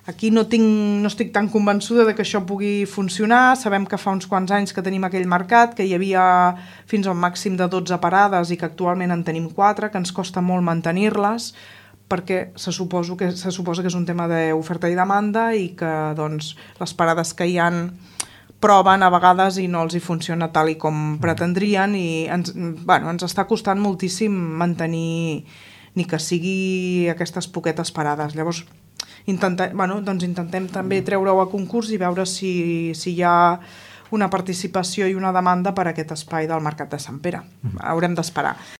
Aquí no estic tan convençuda de que això pugui funcionar. Sabem que fa uns quants anys que tenim aquell mercat, que hi havia fins a un màxim de 12 parades i que actualment en tenim 4, que ens costa molt mantenir-les, perquè se suposa que és un tema d'oferta i demanda i que doncs, les parades que hi han proven a vegades i no els hi funciona tal i com pretendrien i ens està costant moltíssim mantenir ni que sigui aquestes poquetes parades. Llavors intentem també treure-ho a concurs i veure si hi ha una participació i una demanda per a aquest espai del Mercat de Sant Pere. Haurem d'esperar.